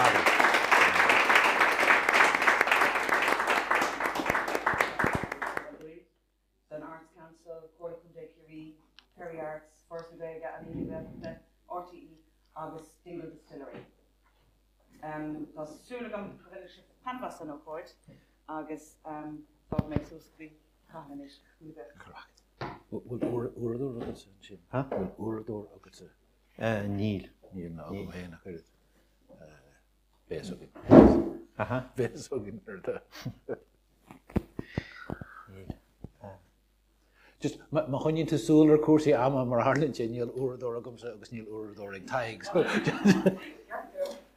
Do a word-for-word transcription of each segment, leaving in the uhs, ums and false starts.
Larry. An Arts Council, Comhairle Contae Chiarraí, Kerry Arts, Foras na Gaeilge, Ealaín na Gaeltachta, RTÉ agus Dingle Distillery. Um, tá súil agam go bhfuil sibh taitneamh as an ócáid agus um, fágfaidh mé suas go dtí Cathal anois. Bhfuil uaireadóir agatsa ansin? Ha? Bhfuil uaireadóir agatsa? Uh, níl. Níl ná agam féin ach oiread. Beidh againn. Aha. Beidh againn ar do. Níl. Just má choinníonn tú súil ar cúrsaí ama mar tharlaíonn sé níl uaireadóir agamsa agus níl uaireadóir ag Tadhg. So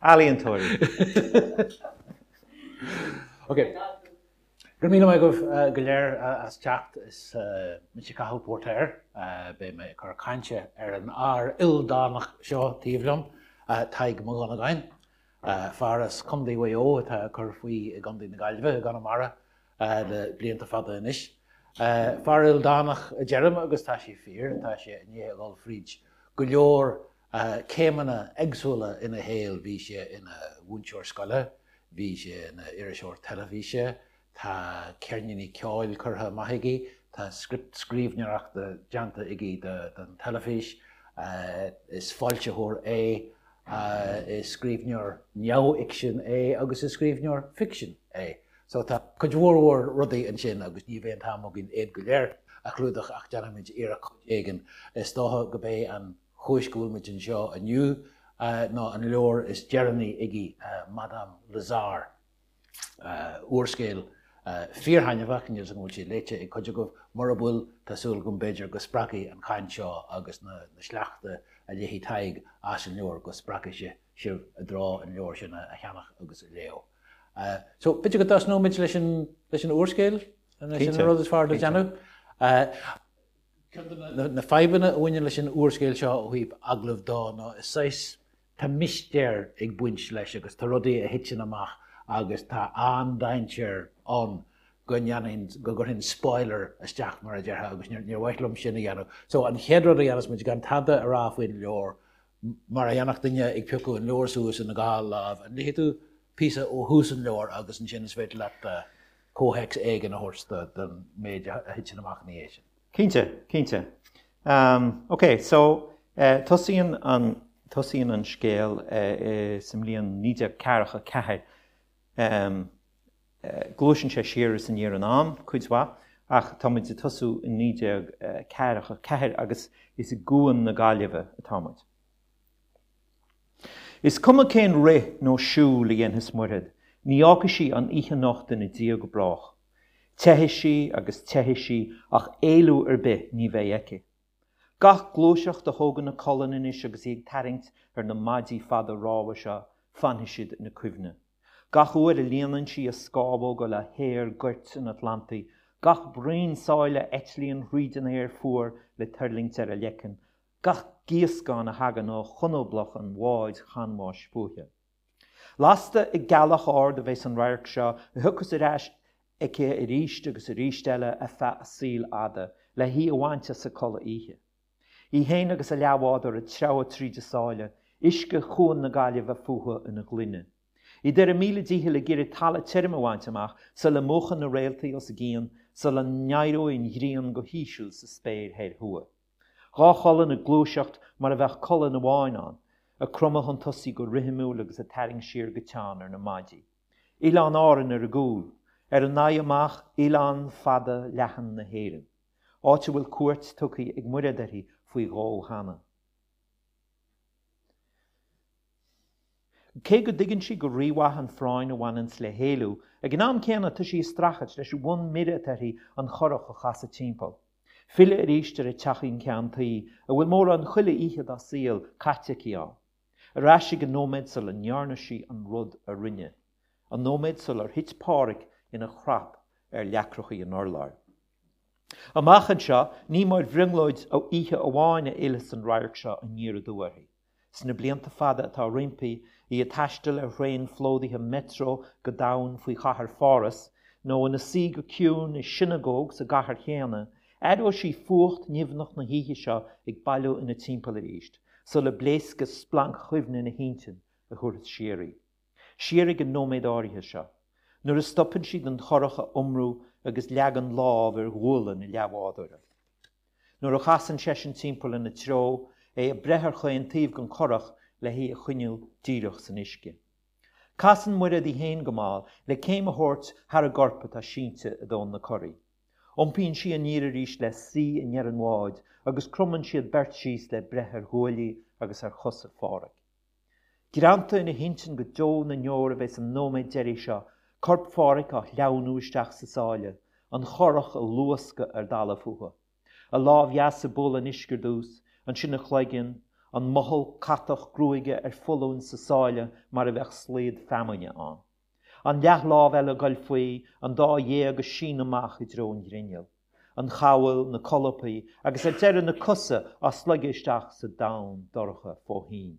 Ealaíontóirí. Ok. Go raibh míle maith agaibh go léir as teacht is mise Cathal Póirtéir, beidh mé ag cur cainte ar an fhear ildánach seo taobh liom, Tadhg Mac Dhonnagáin, fear as Contae Mhaigh Eo atá ag cur faoi i gContae na Gaillimhe i gConamara le blianta fada anois. Fear ildánach a deirim agus tá sé fíor, tá sé i ndiaidh a dhul fríd go leor céimeanna éagsúla ina shaol, bhí sé ina mhúinteoir scoile, bhí sé ina iriseoir teilifíse, tá ceirníní ceoil curtha amach aige, tá script scríbhneoireachta déanta aige don teilifís, is foilsitheoir é, is scríbhneoir neamhfhicsin é agus is scríbhneoir ficsin é. So tá cuid mhór mhór rudaí ansin agus ní bheidh an t-am againn iad go léir a chlúdach ach déanfaimid iarracht cuid éigin. Is dócha go b'é an chúis go bhfuil muid anseo inniu ná an leabhar is deireanaí aige, Madame Lazare. Úrscéal fíorthaitneamhach, níl 'fhios agam an bhfuil sé léite ag cuid agaibh, mura bhfuil, tá súil agam b'fhéidir go spreagfaidh an chaint seo agus na sleachta a léifidh Tadhg as an leabhar go spreagfaidh sé sibh i dtreo an leabhar sin a cheannach agus a léamh. So b'fhéidir go dtosnóimid leis an leis an úrscéal, an sin an rud is fearr le déanamh. Ceann de na fadhbanna a bhaineann leis an úrscéal seo ó thaobh agallamh dó ná is saghas tá mistéir ag baint leis agus tá rudaí a thiteann amach agus tá an-dainséar ann go ndéanfainn, go gcuirfinn spoiler isteach mar a déarfá agus níor mhaith liom sin a dhéanamh. So an chéad rud a dhéanfas muid gan tada a rá faoin leabhar, mar a dhéanfadh duine ag piocadh an leabhar suas ina dhá lámh, an léifidh tú píosa ó thús an leabhair agus ansin is féidir leat comhthéacs éigin a thabhairt don méid a thiteann amach ina dhiaidh sin. Cinnte, cinnte. Um, ok, so uh, tosaíonn an, tosaíonn an scéal uh, sa mbliain naoi déag ceathracha ceathair. Um, uh, gluaiseann sé siar is aniar in am, cuid mhaith, ach tá muid ag tosú i naoi déag ceathracha ceathair agus is i gCuan na Gaillimhe atá muid. Is cuma cén rith nó siúl a dhéanfas Muiread, ní fhágfaidh sí an oíche anocht ina diaidh go brách. Teithfidh sí agus teithfidh sí ach éalú ar bith ní bheidh aici. Gach gluaiseacht a thógann a colainn anois agus í ag tarraingt ar na maidí fada rámha seo, fanfaidh siad ina cuimhne. Gach uair a líonann sí a scámhóga le haer goirt an Atlantaigh, gach braon sáile a eitlíonn thríd an aer fuar le tuirlingt ar a leiceann, gach gíoscán a thagann ó chonablach an bháid chanbháis fúithi. Lasta ag gealach ard a bheas an radharc seo, a thiocfas ar ais aici arís agus arís eile ar feadh a saoil fhada, le hí a bhaint as a codladh oíche. Í féin agus a leathbhádóir ag treabhadh tríd an sáile, uisce Chuan na Gaillimhe fúthu ina ngloine. Iad ar a míle dícheall ag iarraidh talamh tirim a bhaint amach sula múchfaidh na réaltaí os a gcionn, sula n-éireoidh an ghrian go híseal sa spéir thoir thuaidh. Dhá cholainn ag gluaiseacht mar a bheadh colainn amháin ann, ag cromadh chun tosaigh go rithimiúil agus ag tarraingt siar go teann ar na maidí. Oileán Árann ar a gcúl, ar a n-aghaidh amach oileán fada leathan na hÉireann, áit a bhfuil cuairt tugtha ag Muiread uirthi faoi dhó cheana. Cé go dtuigeann sí go rímhaith an phráinn a bhaineanns le héalú, ag an am céanna tá sí ag streachailt leis an bhfonn mire atá uirthi an churach a chasadh timpeall. Filleadh arís ar a teachín ceann tuí, a bhfuil mórán chuile oíche dá saol caite aici ann. Ar ais ag an nóiméad sula ndearna sí an rud a rinne. An nóiméad sular thit Páraic ina chrap ar leacrachaí an urláir. Amach anseo, ní mar bhrionglóid oíche amháin a fhillfeas an radharc seo aniar aduaidh uirthi. Sna blianta fada atá roimpi, í ag taisteal ar thraein phlódaithe Metro go domhain faoi chathair Pháras, nó ina suí go ciúin i sionagóg sa gcathair chéanna, aireoidh sí fuacht nimhneach na hoíche seo ag bailiú ina timpeall arís, sula bpléascfaidh splanc chuimhne ina hintinn a thabharfas siar í. Siar ag an nóiméad áirithe seo, nuair a stopann sí den churach a iomrú agus leagann lámh ar ghualainn a leathbhádóra. Nuair a chasann seisean timpeall ina treo, é ag breith ar chaon taobh den churach le hí a choinneáil díreach san uisce. Casann Muiréad í féin go mall le céim a thabhairt thar an gcorp atá sínte i dtóin na curaí. Iompaíonn sí aniar arís le suí i ndeireadh an bháid agus cromann siad beirt síos le breith ar ghuaillí agus ar chosa Phádhraic. Greanta ina hintinn go deo na ndeor a bheas an nóiméad deiridh seo, corp Phádhraic á shleamhnú isteach sa sáile, an churach ag luascadh ar talamh fúthu. A lámh dheas ag bualadh an uisce ar dtús, ansin a chloigeann, an mothall catach gruaige ar foluain sa sáile mar a bheadh slaod feamainne ann. An leathlámh eile ag goil faoi, an dá ghéag ag síneadh amach i dtreo an ghrinnill. An chabhail, na colpaí, agus ar deireadh na cosa á sloigeadh isteach sa domhan dorcha fó thoinn.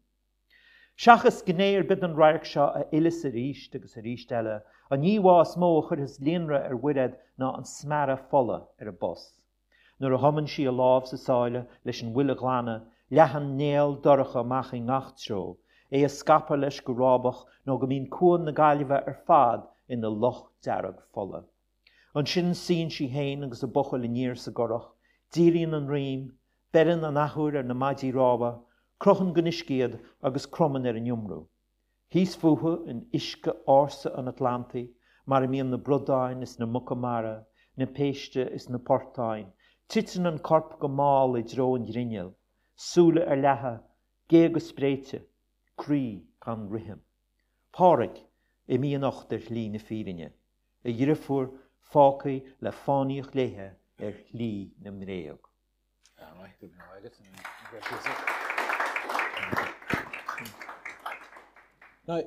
Seachas gné ar bith den radharc seo a fhilleas arís agus arís eile, an íomhá is mó a chuirfeas líonrith ar Mhuiréad ná an smearadh fola ar an bpus. Nuair a thumann sí a lámh sa sáile leis an bhfuil a ghlanadh, leathann néal dorcha amach i ngach treo, é ag scaipeadh leis go rábach nó go mbíonn Cuan na Gaillimhe ar fad ina loch dearg fola. Ansin suíonn sí féin agus a buachaill aniar sa gcurach, díríonn an rím, beireann an athuair ar na maidí rámha, crochann den uisce iad agus cromann ar an iomrú. Thíos fúthu in uisce ársa an Atlantaigh, mar a mbíonn na bradáin is na muca mara, na péiste is na portáin, titeann an corp go mall i dtreo an ghrinnill, súile ar leathadh, géaga spréite, croí gan rithim. Pádhraic, imithe anocht ar shlí na fírinne, a dhriofúr fágtha le fánaíocht léithe ar shlí na mbréag. Now,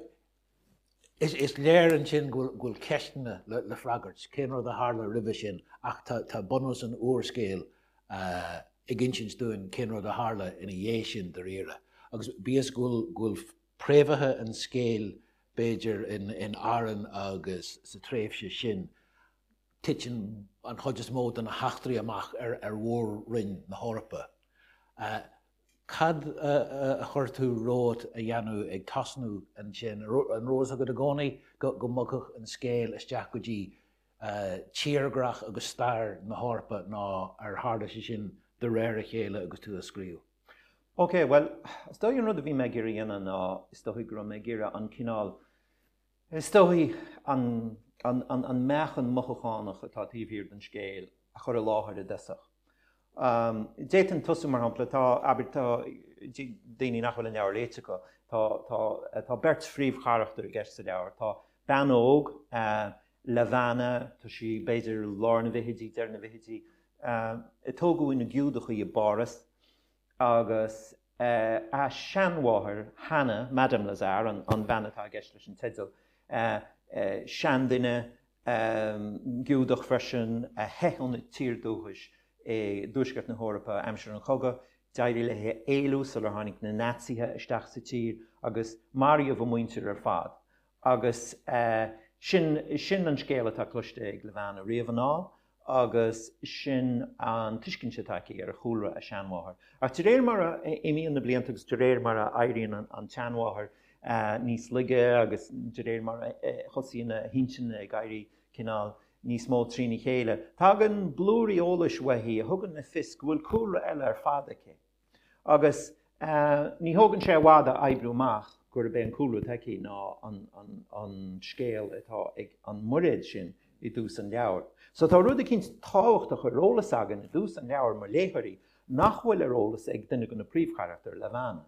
is, is léir ansin go bhfuil ceisteanna le, le freagairt, cén rud a tharla roimhe sin, ach tá, tá bunús an úrscéil uh, ag insint dúinn cén rud a tharla ina dhiaidh sin dáiríre. Agus bíodh go bhfuil, go bhfuil préamhaithe an scéil b'fhéidir in, in Árainn agus sa tréimhse sin, titeann an chuid is mó de na heachtraí amach ar, ar mhór-roinn na hEorpa. Uh, cad a, a chuir tú romhat a dhéanamh ag tosnú ansin? An raibh a fhios agat i gcónaí go, go mbogfadh an scéal isteach go dtí uh, tírdhreach agus stair na hEorpa nó ar tharla sé sin de réir a chéile agus tú ag scríobh? Ok, well, is dóigh an rud a bhí mé ag iarraidh a dhéanamh ná is dóigh go raibh mé ag iarraidh an cineál, is dóigh an, an, an, an meáchan mothúchánach atá taobh thiar den scéal a chur i láthair i dtosach. Um, D'fhéadfainn tosú mar shampla, tá, abair, tá daoine nach bhfuil an leabhar léite acu, tá, tá, tá beirt phríomhcharachtar i gceist sa leabhar. Tá bean óg, uh, Levana, tá sí b'fhéidir lár na bhfichidí, deireadh na bhfichidí, uh, a tógadh ina Giúdach í i bPáras, agus uh, a seanmháthair, Hannah, Madame Lazare, an, an bhean atá i gceist leis an teideal, uh, uh, seanduine um, Giúdach freisin, a theith óna tír dúchais i dtuaisceart na hEorpa aimsir an chogaidh, d'éirigh léi éalú sular tháinig na Naitsithe isteach sa tír agus maraíodh a muintir ar fad. Agus uh, sin, sin an scéal atá cloiste ag Levana riamh anall, agus sin an tuiscint atá aici ar chúlra a seanmháthar. Ach de réir mar a imíonn na blianta agus de réir mar a éiríonn an, an tseanmháthair uh, níos laige agus de réir mar a thosaíonn a hintinn ag éirí cineál níos mó trína chéile, tagann blúirí eolais uaithi a thugann le fios go bhfuil cúlra eile ar fad aici. Agus uh, ní thógann sé i bhfad a oibriú amach gurb é an cúlra atá aici ná an, an, an scéal atá ag an Muiréad sin i dtús an leabhair. So tá rud eicínt tábhachtach ar eolas againn i dtús an leabhair mar léitheoirí nach bhfuil ar eolas ag duine de na príomhcharachtair, Levana.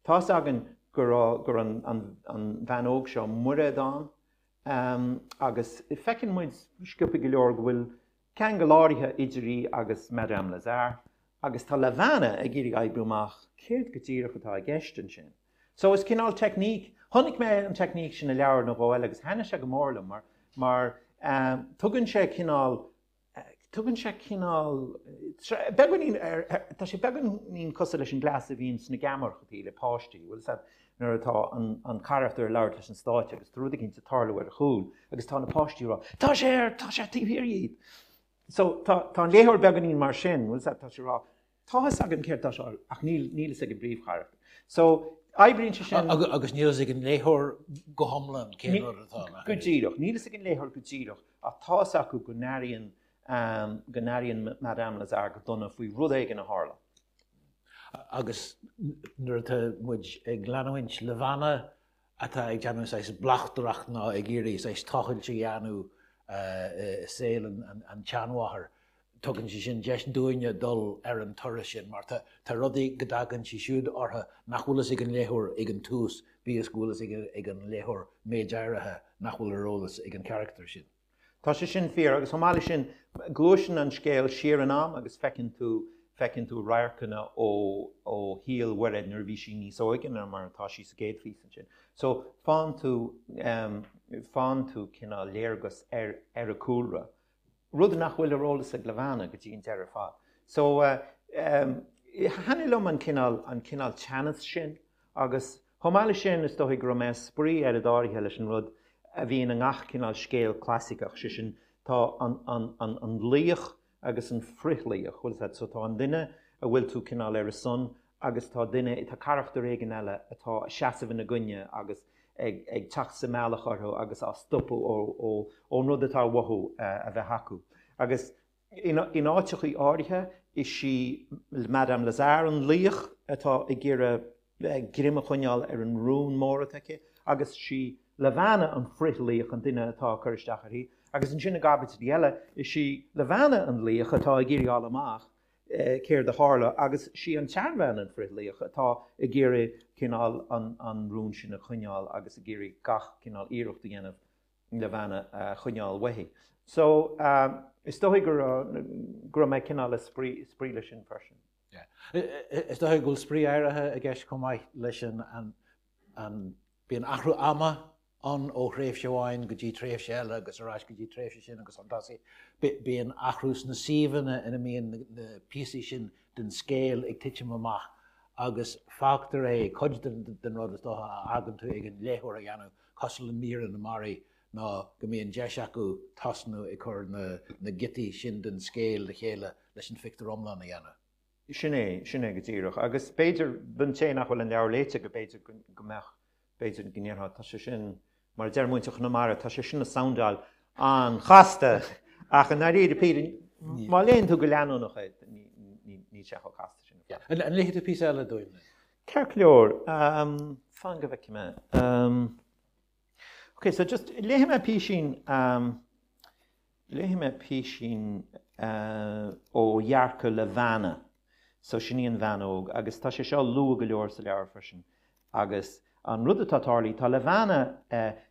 Tá's againn go raibh go raibh an, an, an bhean óg seo Muiréad ann, um, agus feiceann muid sciobtha go leor go bhfuil ceangal áirithe idir í agus Madame Lazare, agus tá Levana ag iarraidh oibriú amach céard go díreach atá i gceist ansin. So is cineál teicníc, chonaic mé an teicníc sin i leabhar nó dhó eile agus thaitnigh sé go mór liom mar, mar um, tugann sé cineál, tugann sé cineál, beagáinín ar, ar, tá sé beagáinín cosúil leis an gcleas a bhíonn sna geamaireachtaí le páistí, bhfuil fhios agat, nuair atá an, an carachtar ag labhairt leis an stáitse agus tá rud eicínt ag tarlú ar a chúl agus tá na páistí ag rá, tá sé ar, tá sé taobh thiar díot. So tá, tá an léitheoir beagáinín mar sin, bhfuil fhios agat, tá sé ag rá, tá fhios againn céard tá sé, ach níl, níl fhios ag an bpríomhcharachtar. So oibríonn sé sin. Agus níl fhios ag an léitheoir go hiomlán cén rud atá ann. Go díreach. Níl fhios ag an léitheoir go díreach ach tá fhios acu go n-airíonn go n-airíonn Madame Lazare go dona faoi rud éigin a tharla. Agus nuair atá muid ag leanúint Levana atá ag déanamh saghas bleachtaireacht nó ag iarraidh saghas tochailt a dhéanamh i saol an tseanmháthar, tugann sé sin deis dúinne dul ar an turas sin mar tá tá rudaí go dtagann sí siúd orthu nach bhfuil fhios ag an léitheoir ag an tús, bíodh is go bhfuil fhios ag an léitheoir méid áirithe nach bhfuil ar eolas ag an charachtar sin. Tá sé sin fíor agus chomh maith leis sin, gluaiseann an scéal siar in am agus feiceann tú feiceann tú radharcanna ó ó shaol Mhuiréad nuair a bhí sí níos óige ná mar atá sí sa gcéad phíosa ansin. So faigheann tú faigheann tú cineál léargas ar ar a cúlra, rud nach bhfuil ar eolas ag Levana go dtí an deireadh ar fad. So thaitnigh liom an cineál an cineál teannas sin agus chomh maith leis sin is dóigh go raibh mé ag spraoi oiread áirithe leis an rud a bhíonn i ngach cineál scéal clasaiceach, sé sin tá an an an an laoch agus an frithlaoch, bhfuil fhios agat, so tá an duine a bhfuil tú cineál ar a son agus tá duine, tá carachtar éigin eile atá ag seasamh ina gcoinne agus ag ag teacht sa mbealach orthu agus á stopadh ó ó ón rud atá uathu a bheith acu. Agus in in áiteachaí áirithe is í Madame Lazare an laoch atá ag iarraidh greim a choinneáil ar an rún mór atá aici agus is í Levana an frithlaoch, an duine atá ag cur isteach uirthi, agus ansin i gcaibidlí eile, is í Levana an laoch atá ag iarraidh fháil amach céard a tharla agus is í an tseanbhean an frithlaoch atá ag iarraidh cineál an rún sin a choinneáil agus ag iarraidh gach cineál iarracht a dhéanamh Levana a choinneáil uaithi. So, is dóigh go raibh mé cineál ag spraoi leis sin freisin. Is dóigh go bhfuil spraoi áirithe i gceist chomh maith leis an an bíonn athrú ama ann ó thréimhse amháin go dtí tréimhse eile agus ar ais go dtí tréimhse sin agus chun tosaigh. Bíonn athrú sna suíomhanna ina mbíonn na píosaí sin den scéal ag titim amach agus fágtar é, cuid den rud is dócha a fhágann tú ag an léitheoir a dhéanamh, cosúil le míreanna na mbarraí, ná go mbíonn deis acu tosnú ag cur na giotaí sin den scéal le chéile leis an phictiúr iomlán a dhéanamh. Sin é, sin é go díreach. Agus b'fhéidir, don té nach bhfuil an leabhar léite, go b'fhéidir go mbeadh, b'fhéidir go ndéarfá, tá sé sin, mar a deir muintir Chonamara, tá sé sin ag soundáil an-chasta! Ach i ndáiríre píre, má léann tú go leanúnach é, níl sé chomh casta sin ar fad. An léifidh tú píosa eile dúinn? Ceart go leor, fan go bhfeicfidh mé. Ok, so just léifidh mé písín, léifidh mé písín ó dhearcadh Levana. So sin í an bhean óg agus tá sé seo luath go leor sa leabhar freisin. Agus an rud atá tarlaithe, tá Levana,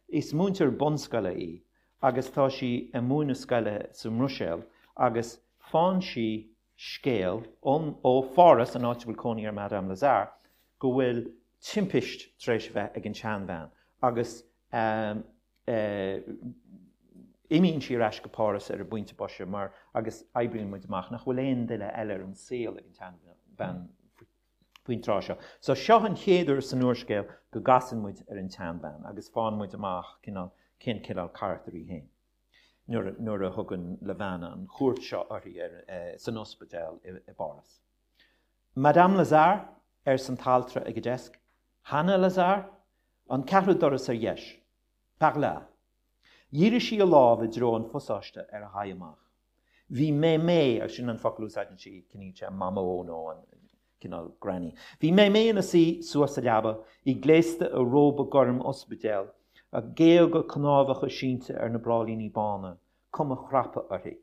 is múinteoir bunscoile í agus tá sí ag múineadh scoile sa mBruiséil agus faigheann sí scéal ón, ó Pháras, an áit a bhfuil cónaí ar Madame Lazare, go bhfuil timpist tar éis a bheith ag an tseanbhean agus imíonn sí ar ais go Páras ar an bpointe boise mar agus oibríonn muid amach nach bhfuil aon duine eile ar an saol ag an tseanbhean faoin tráth seo. So seo an chéad uair san úrscéal go gcasann muid ar an tseanbhean agus faigheann muid amach cineál cén cineál carachtar í féin nuair nuair a thugann Levana an chuairt seo uirthi ar san ospidéal i i bPáras. Madame Lazare, arsa an t-altra ag an deasc. Hanna Lazare? An ceathrú doras ar dheis. Par là. Dhírigh sí a lámh i dtreo an phasáiste ar a haghaidh amach. Bhí Mémé, agus sin an focal a úsáideann sí, ciallaíonn sé Mamó nó an cineál granny. Bhí Mémé ina suí suas sa leaba, í gléasta i róba gorm ospidéil, a géaga cnámhacha sínte ar na bráillíní bána, cuma chraptha uirthi.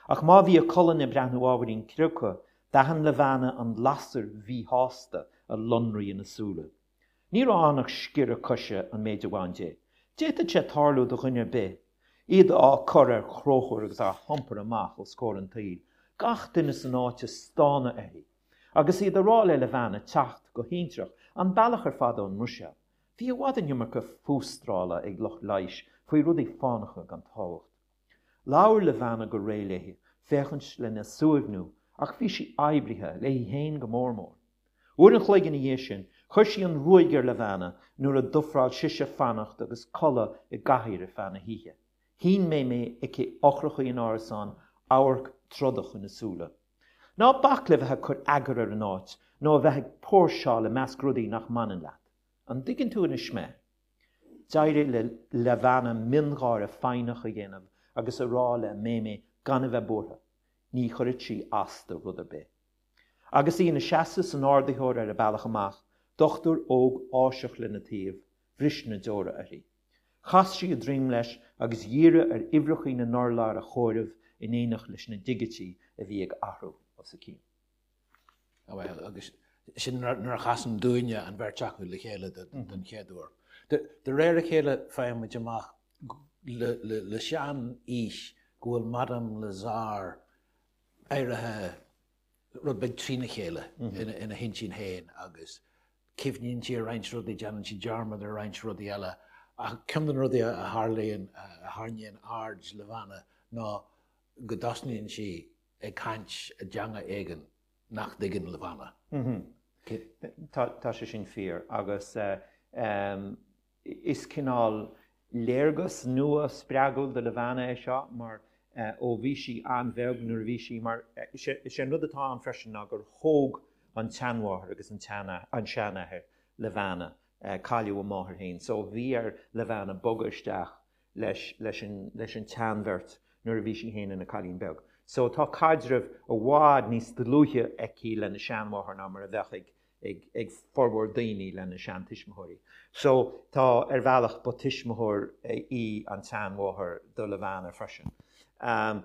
Ach má bhí a colainn ag breathnú ábhairín criochtha, d'aithin Levana an lasair mhíshásta a lonraigh ina súile. Ní raibh ann ach sciorradh coise an méid a bhain di. D'fhéadfadh sé tarlú do dhuine ar bith. Iad á cur ar chrochar agus á hiompar amach os comhair an tsaoil, gach duine san áit ag stánadh uirthi. Agus iad ag rá le Levana teacht go hintreach an bealach ar fad ón mBruiséil. Bhí i bhfad an iomarca fústrála ag lucht leighis faoi rudaí fánacha gan tábhacht. Labhair Levana go réidh léi, féachaint lena suaimhniú, ach bhí sí oibrithe, léi féin go mór mór. Uair an chloig ina dhiaidh sin, chuir sí an ruaig ar Levana nuair a d'ofráil sise fanacht agus codladh i gcathaoir ar feadh na hoíche. Shín Mémé chuici eochracha an árasáin, amharc trodach ina súile. Ná bac le bheith ag cur eagair ar an áit, nó a bheith ag póirseáil i measc rudaí nach mbaineann leat. An dtuigeann tú anois mé? D'éirigh le Levana miongháire foighneach a dhéanamh agus a rá le Méimé gan a bheith buartha, ní chuirfeadh sí as do rud ar bith. Agus í ina seasamh san ardaitheoir ar a bealach amach, dochtúir óg Áiseach lena taobh, bhris na deora uirthi. Chas sí a droim leis agus dhírigh ar uimhreacha na n-urlár a chomhaireamh in éineacht leis na digití a bhí ag athrú os a cionn. Bhuel, agus sin nuair a chasann dúinne an bheirt acu le chéile den chéad uair. De réir a chéile faigheann muid amach le sean-aois go bhfuil Madame Lazare éirithe rud beag trína chéile ina hintinn féin agus cuimhníonn sí ar roinnt rudaí, déanann sí dearmad ar roinnt rudaí eile. Ach ceann de na rudaí a tharlaíonn, a tharraingíonn aird Levana ná go dtosnaíonn sí ag caint i dteanga éigin nach dtuigeann Levana. Tá sé sin fíor agus is cineál léargas nua spreagúil do Levana é seo mar ó bhí sí an-bheag nuair a bhí sí mar is é an rud atá ann freisin ná gur thóg an tseanmháthair agus an seanathair Levana, cailleadh a máthair féin so bhí ar Levana bogadh isteach leis leis an leis an tseanbheirt nuair a bhí sí féin ina cailín beag. So tá caidreamh i bhfad níos dlúithe aici lena seanmháthair ná mar a bheadh ag ag ag formhór daoine lena seantuismitheoirí. So tá ar bhealach ba tuismitheoir í an tseanmháthair do Levana freisin. Um,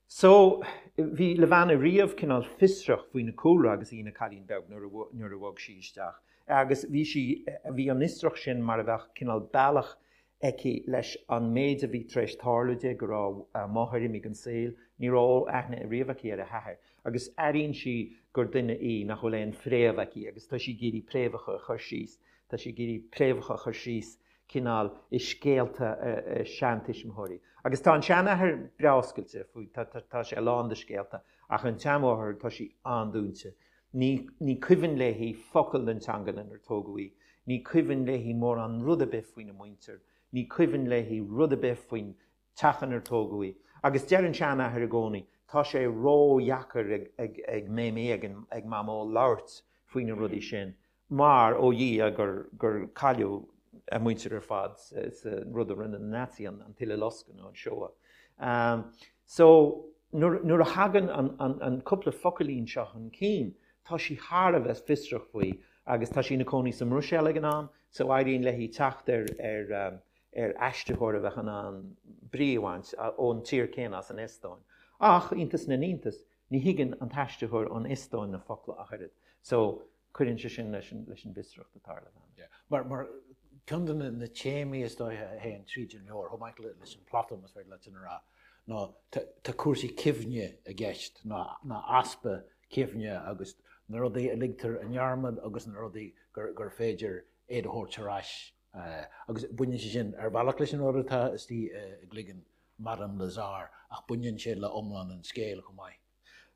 so bhí Levana riamh cineál fiosrach faoina cúlra agus í ina cailín beag nuair a nuair a bhog sí isteach. Agus bhí sí bhí an fhiosracht sin mar a bheadh cineál bealach aici leis an méid a bhí tar éis tarlú di, go raibh a máthair imithe den saol, ní raibh aithne riamh aici ar a hathair, agus airíonn sí gur duine í nach bhfuil aon phréamh aici agus tá sí ag iarraidh préamhacha a chur síos, tá sí ag iarraidh préamhacha a chur síos cineál i scéalta a seantuismitheoirí. Agus tá an seanathair breá oscailte faoi, tá, tá, tá sé lán de scéalta, ach an tseanmháthair, tá sí an-dúinte. Ní, ní cuimhin léi focal den teanga lenar tógadh í, ní cuimhin léi mórán rud ar bith faoina muintir, ní cuimhin léi rud ar bith faoin teach inar tógadh í. Agus deir an seanathair i gcónaí, tá sé ródheacair ag, ag, ag Méimí, ag, ag Mamó labhairt faoi na rudaí sin, mar ó Dhia gur, gur cailleadh a muintir ar fad sa, sa rud a rinne na Naitsithe, an, an tUileloscadh nó an Shoah. Um, so, nuair, nuair a thagann an, an, an cúpla focailín seo chun cinn, tá sí thar a bheith fiosrach faoi agus tá sí ina cónaí sa mBruiséil ag an am, so éiríonn léi teacht ar, ar, um, ar aistritheoir a bheadh in ann brí a bhaint ón tír céanna as an Eastóin. Ach, iontas na n-iontas, ní thuigeann an t-aistritheoir ón Eastóin na focla ach oiread. So, cuireann sé sin leis an, leis an bhfiosracht atá ar Levana. Mar, mar ceann de na, na téamaí is dóiche a théann tríd an leabhar, chomh maith leis an plota, más féidir leat sin a rá, ná tá cúrsaí cuimhne i gceist, ná, ná easpa cuimhne agus na rudaí a ligtear i ndearmad agus na rudaí gur, gur féidir iad a thabhairt ar ais. Agus baineann sé sin ar bhealach leis an rud atá istigh i gcloigeann Madame Lazare, ach baineann sé le iomlán an scéil chomh maith.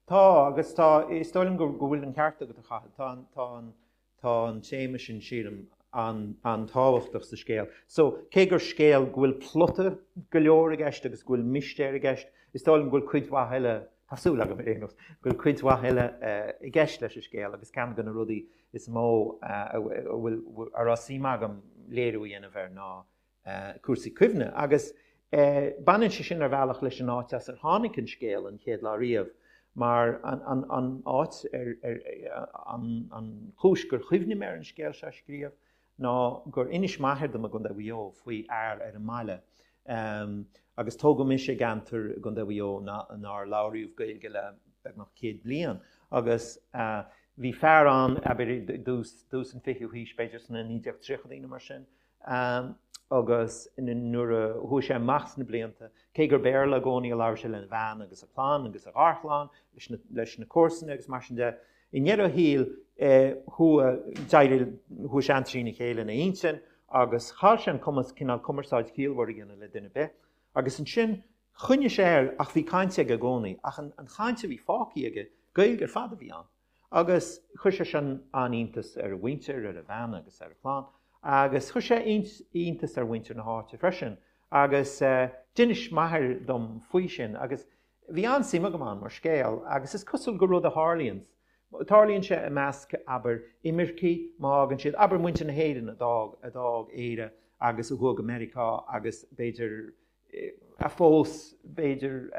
Tá, agus tá, is dóigh liom go, go bhfuil an ceart agat, a Chathail. Tá an, tá an, tá an téama sin, sílim, an, an-tábhachtach sa scéal. So, cé gur scéal go bhfuil plota go leor i gceist agus go bhfuil mistéir i gceist, is dóigh liom go bhfuil cuid mhaith eile, tá súil agam ar aon nós, go bhfuil cuid mhaith eile i gceist leis an scéal agus ceann de na rudaí is mó a bhfuil, a raibh suim agam léiriú a dhéanamh air ná cúrsaí cuimhne. Agus baineann sé sin ar bhealach leis an áit as ar tháinig an scéal an chéad lá riamh, mar an, an, an áit ar, ar, an, an chúis gur chuimhnigh mé ar an scéal seo a scríobh ná gur inis m'athair dom i gContae Mhaigh Eo faoi fhear ar an mbaile agus tógadh mise i gceantar i gContae Mhaigh Eo nár labhraíodh Gaeilge le beagnach céad bliain agus bhí fear ann, abair i dtús, dtús an fichiú haois, b'fhéidir sna naoi déag tríochaidí nó mar sin, agus nuair a chuaigh sé amach sna blianta, cé gur Béarla i gcónaí a labhair sé lena bhean agus a chlann agus a gharchlann, leis na, leis na comharsana agus mar sin de, i ndeireadh a shaoil chuaigh, d'éirigh, chuaigh sé an-trína chéile ina intinn agus chaill sé an cumas cineál cumarsáid chiallmhar a dhéanamh le duine ar bith. Agus ansin choinnigh sé air ach bhí caint aige i gcónaí, ach an, an chaint a bhí fágtha aige, Gaeilge ar fad a bhí ann. Agus chuir sé sin an-iontas ar a mhuintir, ar a bhean agus ar a chlann, agus chuir sé iontas ar mhuintir na háite freisin. Agus d'inis m'athair dom faoi sin agus bhí an-suim agam ann mar scéal agus is cosúil gur rud a tharlaíonns Tarlaíonn sé i measc, abair, imircigh, má fhágann siad, abair, muintir na hÉireann a d'fhág, a d'fhág Éire agus a chuaigh go Meiriceá agus b'fhéidir a phós, b'fhéidir,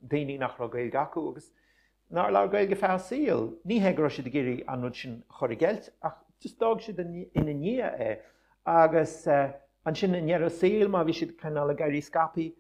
daoine nach raibh Gaeilge acu agus nár labhair Gaeilge feadh a saoil. Ní hé go raibh siad ag iarraidh an rud sin a chur i gceilt ach just d'fhág siad ina ndiaidh é agus ansin i ndeireadh a saoil má bhí siad cineál ag éirí scaipthe,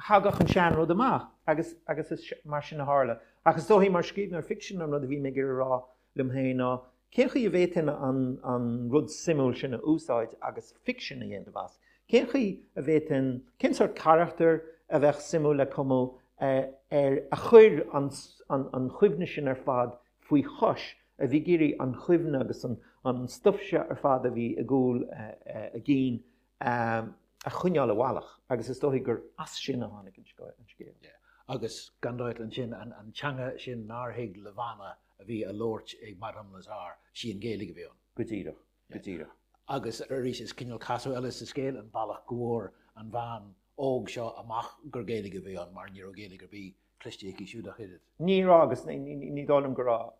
thagadh an seanrud amach agus agus is mar sin a tharla. Ach is dóichí mar scríbhneoir ficsin an rud a bhí mé ag iarraidh a rá liom féin ná cén chaoi a bhféadfainn an an rud suimiúil sin a úsáid agus ficsean a dhéanamh as? Cén chaoi a bhféadfainn, cén sórt carachtar a bheadh suimiúil le cumadh ar a chuir an an an chuimhne sin ar fad faoi chois, a bhí ag iarraidh an chuimhne agus an an stuif seo ar fad a bhí i gcúl a gcinn a choinneáil i bhfalach agus is dóichí gur as sin a tháinig an scéal. Agus gan dabht ansin an teanga sin nár thuig Levana a bhí á labhairt ag Madame Lazare, sí an Ghaeilge a bhí ann. Go díreach, go díreach. Agus arís is cineál casadh eile sa scéal an bealach go bhfuair an bhean óg seo amach gur Gaeilge a bhí ann mar ní raibh Gaeilge ar bith cloiste aici siúd ach oiread. Ní raibh agus ní dóigh liom go raibh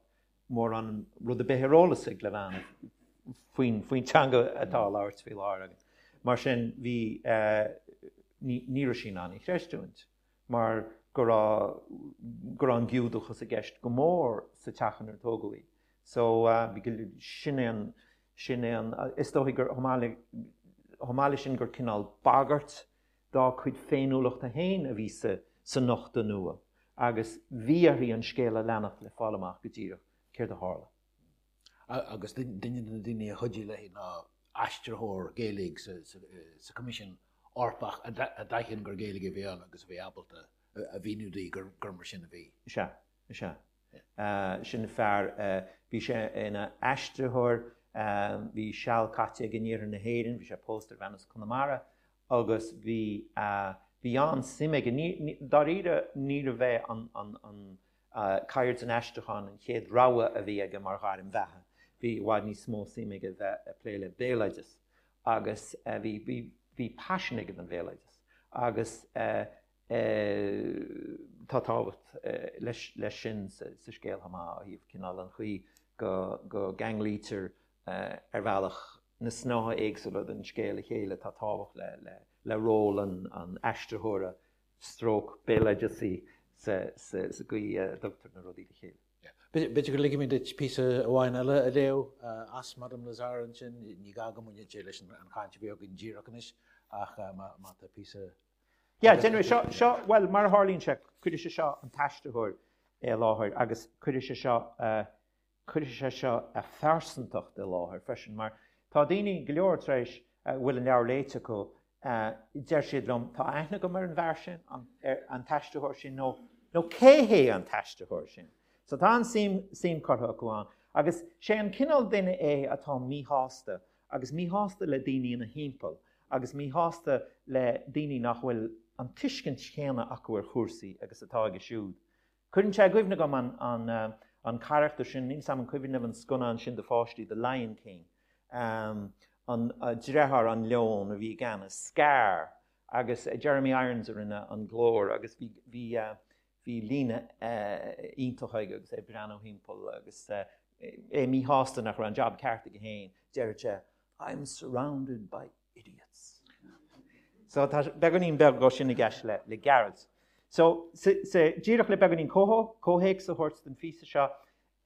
mórán rud ar bith ar eolas ag Levana faoin faoin teanga atá á labhairt faoi láthair againn. Mar sin bhí ní ní raibh sí in ann í a chreistiúint mar go raibh go raibh an Giúdachas i gceist go mór sa teach inar tógadh í. So bhí sin é an sin é an is dóichí gur chomh maith le chomh maith leis sin gur cineál bagairt dá cuid féiniúlachta féin a bhí sa sa nochtadh nua agus bhí uirthi an scéal a leanacht le fáil amach go díreach céard a tharla. Agus duine de na daoine a chuidigh léi ná aistritheoir Gaeilge sa Choimisiún Eorpach a d'aithin gur Gaeilge a bhí ann agus a bhí ábalta a mhíniú di gur mar sin a bhí. Sea, sea. Sin fear, bhí sé ina aistritheoir, bhí seal caite aige in iarthar na hÉireann, bhí sé pósta ar bhean as Conamara agus bhí, bhí an-suim aige, dáiríre níorbh é an, an, an ceird an aistriúcháin an chéad rogha a bhí aige mar ghairm bheatha, bhí i bhfad níos mó suim aige bheith ag plé le béaloideas agus bhí, bhí, bhí paisean aige don bhéaloideas agus tá tábhacht leis, leis sin sa, sa scéal chomh maith ó thaobh cineál an chaoi go, go gceanglaítear ar bhealach na snáithe éagsúla den scéal le chéile, tá tábhacht le, le, le ról an, an aistritheora stroke béaloideasaí sa, sa, sa gcaoi a dtugtar na rudaí le chéile. B'fhéidir go ligfidh mé duit píosa amháin eile a léamh as Madame Lazare ansin, ní gá go mbaineann sé leis an chaint a bhí againn díreach anois ach má tá píosa Yeah, déanfaidh seo, seo, bhuel, mar a tharlaíonn sé, cuirfidh sé seo an t-aistritheoir i láthair agus cuirfidh sé seo, cuirfidh sé seo a phearsantacht i láthair freisin mar tá daoine go leor tar éis a bhfuil an leabhar léite acu, deir siad liom, tá aithne agam ar an bhfear sin, an, ar an t-aistritheoir sin nó, nó cé hé an t-aistritheoir sin? So tá an suim, suim curtha acu ann agus sé an cineál duine é atá míshásta agus míshásta le daoine ina thimpeall agus míshásta le daoine nach bhfuil an tuiscint chéanna acu ar chúrsaí agus atá aige siúd. Cuireann sé i gcuimhne dom an, an, an carachtar sin, níl 's a'm an cuimhin libh an scannán sin do pháistí, The Lion King, um, an uh, deartháir an leon a bhí i gceannas, Scar, agus uh, Jeremy Irons a rinne an glór agus bhí, bhí, uh, bhí líne uh, iontach aige agus é ag breathnú thimpeall agus uh, é míshásta nach raibh an job ceart aige féin, deir sé, I'm surrounded by idiots. So tá beagáinín beag de sin i gceist le, le Gearailt. So sa, sa, díreach le beagáinín comhthéacs a thabhairt don phíosa seo,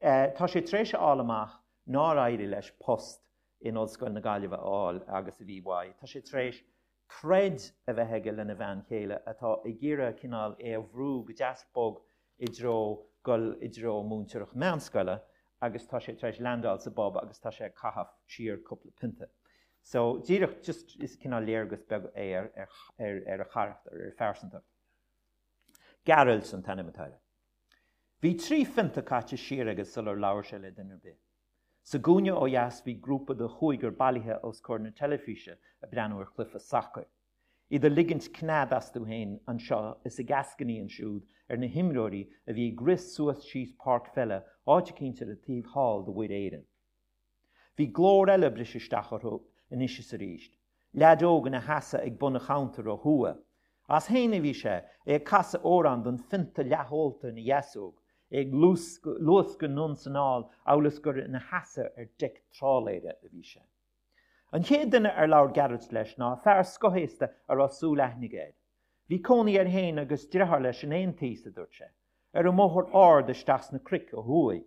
eh, tá sé tar éis a fháil amach nár éirigh leis post in Ollscoil na Gaillimhe a fháil agus a bhí uaidh. Tá sé tar éis troid a bheith aige lena bhean chéile atá ag iarraidh cineál é a bhrú go deas bog i dtreo dul i dtreo múinteoireacht meánscoile agus tá sé tar éis landáil sa bpub agus tá sé ag caitheamh siar cúpla pionta. So díreach just is cineál léargas beag é ar, ar, ar, ar a charachtar, ar a phearsantacht. Gearailt an t-ainm atá air. Bhí trí phionta caite siar aige sular labhair sé le duine ar bith. Sa gcúinne ó dheas bhí grúpa de chúigear bailithe os comhair na teilifíse ag breathnú ar chluiche sacair. Iad ag ligint cnead astu féin anseo is ag eascainí ansiúd ar na himreoirí a bhí ag rith suas síos páirc pheile áit eicínt ar an taobh thall de Mhuir Éireann. Bhí glór eile ag briseadh isteach orthu anois is arís. Leaid óg ina sheasamh ag bun an chuntair ó thuaidh. As féin a bhí sé, é ag casadh amhrán don phionta leath-ólta ina dheasóg, é ag luascadh anonn 's anall amhail is gur ina sheasamh ar deic trálaeir a bhí sé. An chéad duine ar labhair Gearailt leis ná fear scothaosta a raibh súil aithnid air. Bhí cónaí air féin agus deartháir leis in aontíos, a dúirt sé, ar an mbóthar ard isteach sna cnoic ó thuaidh.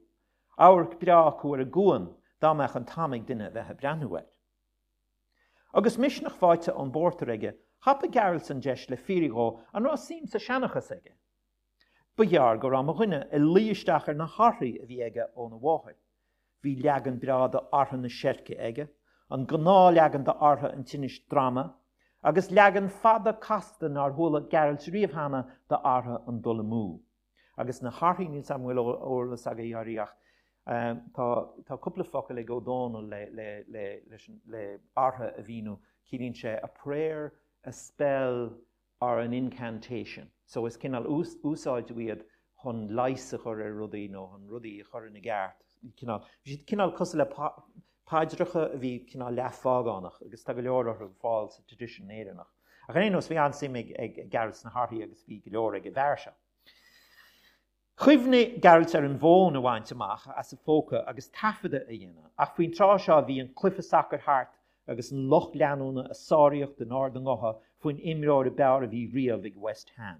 Amharc breá acu ar an gcuan, dá mbeadh an t-am ag duine a bheith ag breathnú air. Agus misneach faighte ón bpórtar aige, thapaigh Gearailt an deis le fiafraí dhó an raibh suim sa seanchas aige. Ba ghearr go raibh mo dhuine ag luí isteach ar na harthaí a bhí aige óna mháthair. Bhí leagan breá d'Artha na Seirce aige, an gnáthleagan d'Artha an Tinnis Droma, agus leagan fada casta nár chuala Gearailt riamh cheana d'Artha an Dul Amú. Agus na harthaí, níl 's agam an bhfuil eolas agaibh orthu ach tá tá cúpla focal ag Ó Dónaill le le le leis an le artha a mhíniú, ciallaíonn sé a prayer, a spell or an incantation. So is cineál úsáideadh iad chun leigheas a chur ar rudaí nó chun rudaí a chur ina gceart. Cineál, bhí siad cineál cosúil le paidreacha a bhí cineál leathphágánach agus tá go leor orthu ar fáil sa traidisiún Éireannach. Ach ar aon nós, bhí an-suim ag ag Gearailt sna harthaí agus bhí go leor ag an bhfear seo. Chuimhnigh Gearailt ar an bhfón a bhaint amach as a phóca agus taifeadadh a dhéanamh, ach faoin tráth seo bhí an cluiche sacair thart agus an lucht leanúna ag sáraíocht in ard a ngutha faoin imreoir ab fhearr a bhí riamh ag West Ham.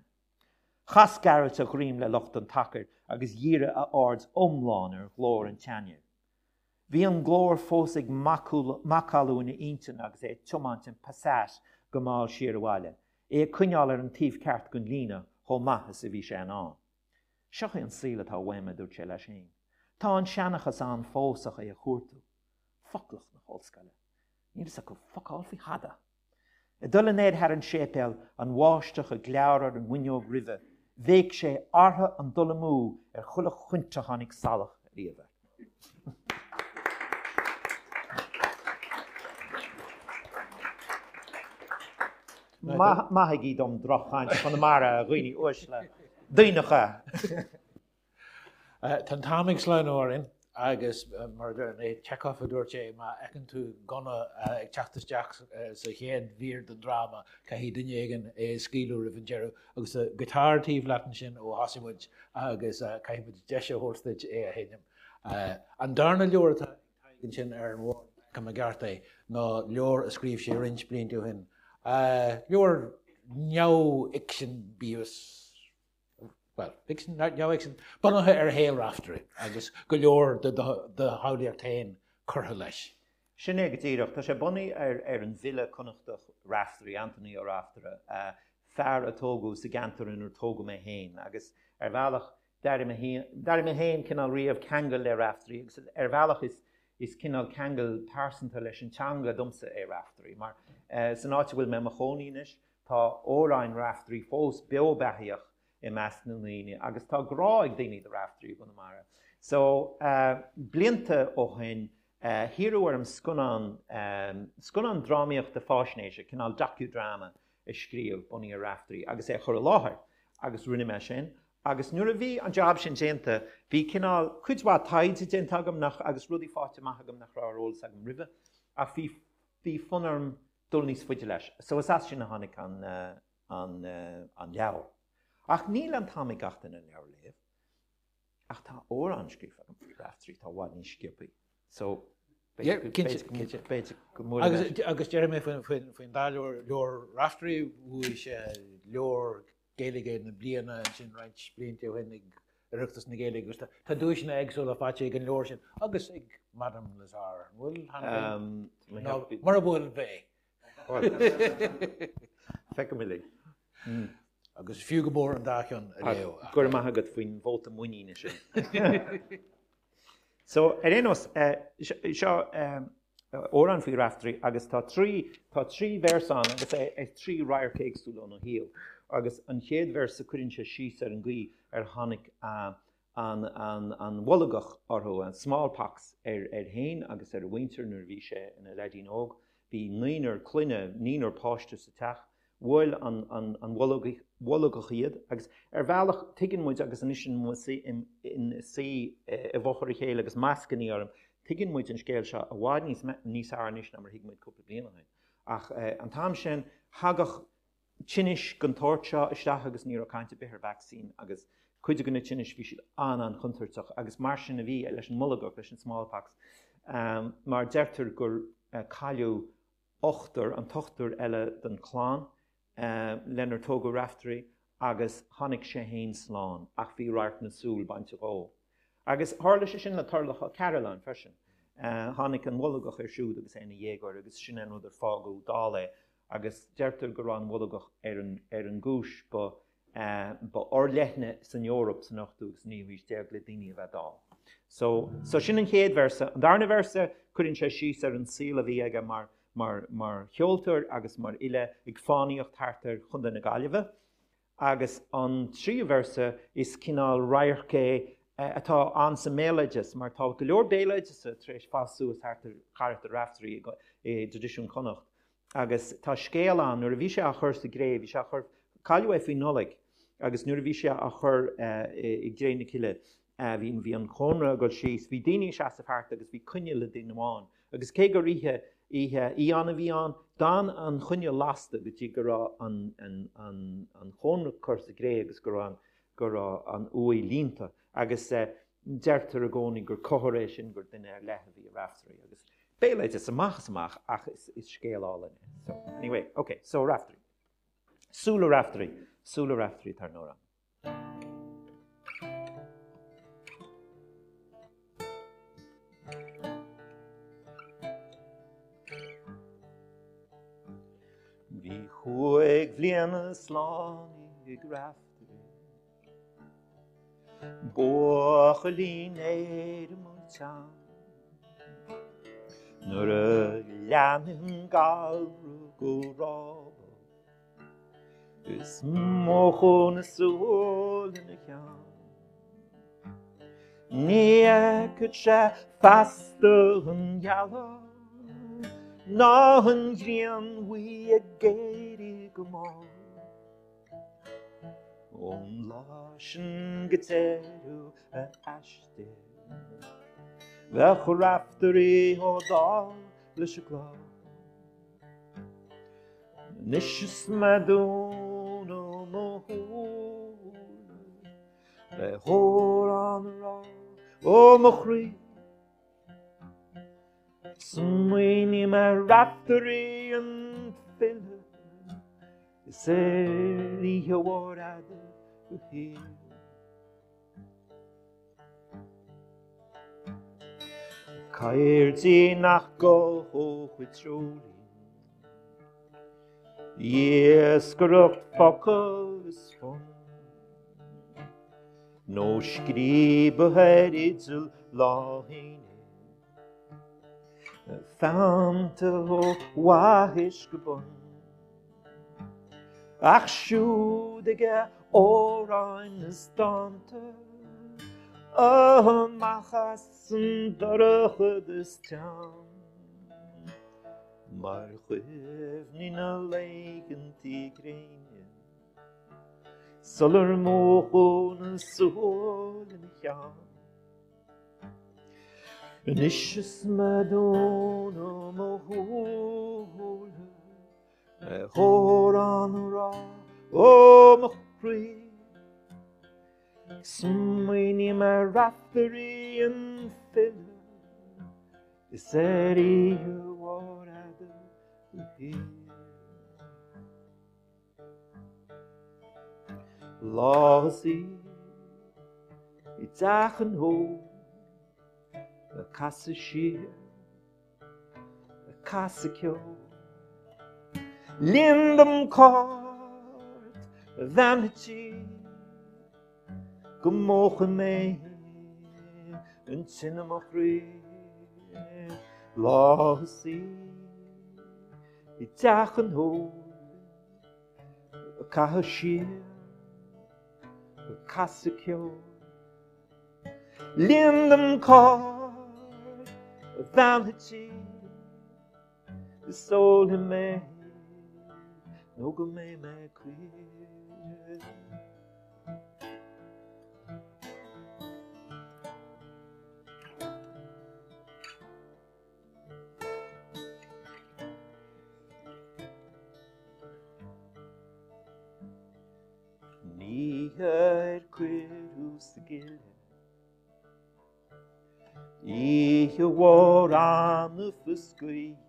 Chas Gearailt a dhroim le lucht an tsacair agus dhírigh a aird iomlán ar ghlór an tseanfhir. Bhí an glór fós ag macallú ina intinn agus é ag tiomáint an Passat go mall siar abhaile, é ag coinneáil ar an taobh ceart den líne chomh maith is a bhí sé in ann. Seo é an saol atá uaim, a dúirt sé leis féin. Tá an seanchas ann fós ach é a chuartú. Foclacht na hollscoile. Níl fhios acu focál faoi thada. Ag dul anoir thar an séipéal, an bháisteach ag gleáradh ar an bhfuinneog roimhe, bhéic sé Artha an Dul Amú ar chuile chuint a tháinig salach ariamh air. Maithigí dom droch-chaint Chonamara, a dhaoine uaisle, daoineacha! Tá an t-am ag sleamhnú orainn agus mar a deir an é Chekhov a dúirt é, má fheiceann tú gunna ag teacht isteach sa chéad mhír den dráma, caithfidh duine éigin é a scaoileadh roimh an deireadh. Agus tá giotár taobh leat ansin ó thosaigh muid agus caithfidh muid deis a thabhairt duit é a sheinm. An darna leabhar atá ag Tadhg ansin ar an bhord, má fheicim i gceart é, ná leabhar a scríobh sé roinnt blianta ó shin. Leabhar neamhfhicsin bíodh is bhuel, ficsean, neamhfhicsean, bunaithe ar shaol Raiftearaí agus go leor de do shamhlaíocht féin curtha leis. Sin é go díreach. Tá sé bunaithe ar ar an bhfile Connachtach Raiftearaí, Antaine Ó Raftaire, fear a tógadh sa gceantar inar tógadh mé féin agus ar bhealach d'airigh mé féin, d'airigh mé féin cineál riamh ceangal le Raiftearaí agus ar bhealach is is cineál ceangal pearsanta leis an teanga domsa é Raiftearaí mar san áit a bhfuil mé i mo chónaí anois tá amhráin Raiftearaí fós beo beathaíoch i measc na ndaoine agus tá grá ag daoine do Raiftearaí i gConamara. So, blianta ó shin, hiarradh orm scannán, scannán drámaíochta fáisnéise, cineál docudrama a scríobh bunaithe ar Raiftearaí agus é a chur i láthair agus rinne mé sin agus nuair a bhí an jab sin déanta, bhí cineál cuid mhaith taighde déanta agam nach, agus rudaí faighte amach agam nach raibh ar eolas agam roimhe ach bhí, bhí fonn orm dul níos faide leis. So is as sin a tháinig an, an, an leabhar. Ach níl an t-am ag gach duine an leabhar a léamh. Ach tá amhrán scríofa agam faoi Raiftearaí atá i bhfad níos sciobthaí. So, b'fhéidir go mbuailfidh mé. Agus déarfaidh mé faoin dá leabhar, leabhar Raiftearaí, bhuaigh sé leabhar Gaeilge na bliana ansin roinnt blianta ó shin ag Oireachtas na Gaeilge agus tá duaiseanna éagsúla faighte ag an leabhar sin agus ag Madame Lazare. An bhfuil cheana féin? Nó mura bhfuil, beidh. Feicfidh muid. Agus is fiú go mór an dá cheann a léamh. Go raibh maith agat faoin vóta muiníne sin. So, ar aon nós, seo amhrán faoi Raiftearaí agus tá trí, tá trí véarsa ann agus é trí radharc éagsúla óna shaol. Agus an chéad véarsa cuireann sé síos ar an gcaoi ar tháinig an, an, an bholgach orthu, an smallpox, ar, air féin agus ar a mhuintir nuair a bhí sé ina leaidín óg. Bhí naonúr clainne, naonúr páiste sa teach. Bhuail an bholgach iad agus ar bhealach tuigeann muid, agus anois inár suí i bhfochair a chéile agus mascannaí orainn, tuigeann muid an scéal seo i bhfad níos fearr anois ná mar a thuig muid cúpla bliain ó shin. Ach an t-am sin, thagadh tinnis den tsórt seo isteach agus ní raibh caint ar bith ar vacsaín agus Cuid de na tinnis bhí siad an-an-chontúirteach agus mar sin a bhí leis an mbolgach, leis an smallpox, um, mar deirtear gur uh, cailleadh ochtar an t-ochtar eile den chlann uh, lenar tógadh Raiftearaí agus tháinig sé féin slán ach bhí radharc na súl bainte dhó. Agus tharla sé sin le Turlough Ó Cairealláin freisin. Uh, tháinig an bholgach air siúd agus é ina dhéagóir agus sin an rud ar fágadh dall é agus deirtear go raibh an bholgach ar an, ar an gcúis ba uh, ba fhorleithne san Eoraip san ochtú agus naoú haois déag le daoine a bheith dall. So, so sin an chéad véarsa. An darna véarsa cuireann sé síos ar an saol a bhí aige mar, mar, mar cheoltóir agus mar fhile ag fánaíocht thart ar Chontae na Gaillimhe. Agus an tríú véarsa is cineál radharc é atá ann sa mbéaloideas, mar tá go leor béaloideas tar éis fás suas thart ar charachtar Raiftearaí i dtraidisiún Chonnacht. Agus tá scéal ann nuair a bhí sé á chur sa gcré, bhí sé á chur cailleadh é faoi Nollaig, agus nuair a bhí sé á chur i gcré na cille, bhí bhí an chónra ag dul síos, bhí daoine ag seasamh thart agus bhí coinneal ag duine amháin. Agus cé gur oíche oíche fhiáin a bhí ann, d'fhan an choinneal lasta go dtí go raibh an, an, an, an chónra curtha sa gcré agus go raibh an, go raibh an uaigh líonta. Agus uh, deirtear i gcónaí gur comhartha é sin gur duine ar leith a bhí i Raiftearaí. Agus béaloideas amach is amach ach is, is scéal álainn é. So, anyway, okay, so Raiftearaí. Súile Raiftearaí, Súile Raiftearaí tar nóra. Bhí cúig bliana slánaí ag Raiftearaí. Buachaillín éirim teann. Nuair a lean an galra go rábach, Is múchadh na súile ina cheann. Ní fheicfeadh sé feasta an ghealach, ná an ghrian bhuí ag éirí go mall. Ón lá sin go deireadh a aistir, Bheadh Raiftearaí chomh dall leis an gclár. Anois is mé ag dúnadh mo shúile, Le hamhrán a rá ó mo chroí. Smaoiním ar Raiftearaí an file, Is ar oíche mhór fhada go shíor. Cairdí nach gcothódh dreoilín, Iascaireacht focal is fonn, Nó scríobadh ar fhidil lá fhéile, Feannta ó bhaithis go bun. Ach siúd aige amhráin is dánta, Amach as an dorchadas teann, Mar chuimhní na laethantaí gréine, Sular múchadh na súile ina cheann. Anois is mé ag dúnadh mo shúile, Le hamhrán a rá ó mo chroí. Smaoiním ar Raiftearaí an file, Is ar oíche mhór fhada go shíor. Lá is í i dteach an óil, Ag casadh siar, ag casadh ceoil. Líon dom cairt, a bhean an tí, Go múchfaidh mé an tine mo chroí. Lá is í i dteach an óil, Ag caitheamh siar, ag casadh ceoil. Líon dom cairt, a bhean an tí, Is ólfaidh mé nó go mbeidh mé caoin. Ní ar cuireadh gile. Oíche mhór annamh is gaoithe,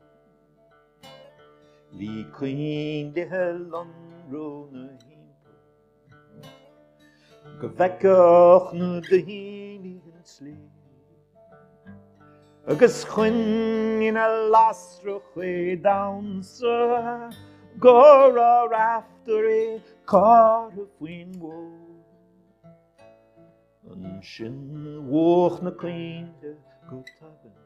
bhí coinnle ag lonrú 'na thimpeall, go bhfeicfeadh na daoine an tslí. Agus choinnigh na lasracha ag damhsa go raibh Raiftearaí curtha faoin bhfód. Ansin mhúch na coinnle go tobann,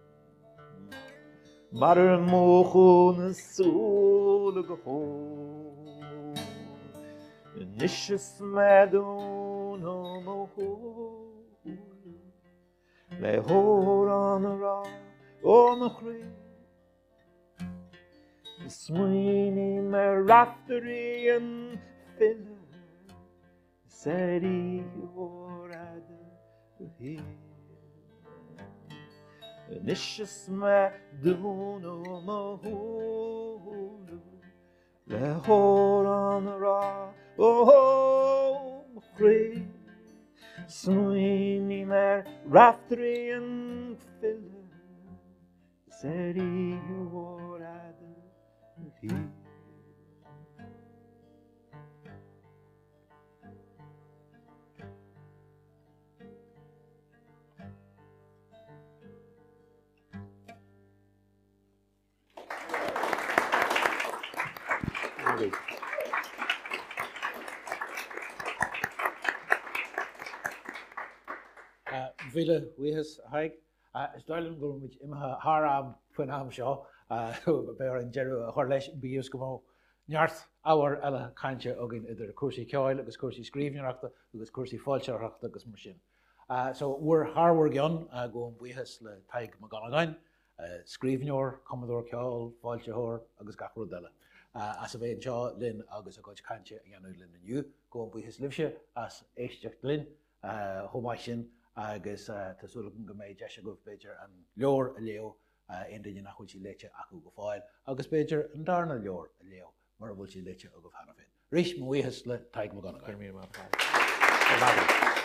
mar ar múchadh na súile go hóg. Anois is mé ag dúnadh mo shúile le hamhrán a rá ó mo chroí, Smaoiním ar Raiftearaí an file is ar oíche mhór fhada a shaoil. Anois is mé ag dúnadh mo shúile le hamhrán a rá ó mo chroí, Smaoiním ar Raiftearaí an file is ar oíche mhór fhada a shaoil. Mhíle buíochas, a Thaidhg. Is dóigh liom go bhfuil muid imithe thar am faoin am seo. Beidh orainn deireadh a chur leis, bíodh is go mbeadh neart ábhar eile cainte againn idir cúrsaí ceoil agus cúrsaí scríbhneoireachta agus cúrsaí foilsitheoireachta agus mar sin. So, bhur, thar bhur gcionn, gabhaim buíochas le Tadhg Mac Dhonnagáin, scríbhneoir, cumadóir ceoil, foilsitheoir agus gach rud eile, as a bheith anseo linn agus a gcuid cainte a dhéanamh linn inniu. Gabhaim buíochas libhse as éisteacht linn chomh maith sin agus tá súil agam go mbeidh deis agaibh b'fhéidir an leabhar a léamh, aon duine nach bhfuil sé léite acu go fóill, agus b'fhéidir an darna leabhar a léamh mura bhfuil sé léite agaibh cheana féin. Arís, mo bhuíochas le Tadhg Mac Dhonnagáin. Go raibh míle maith agat.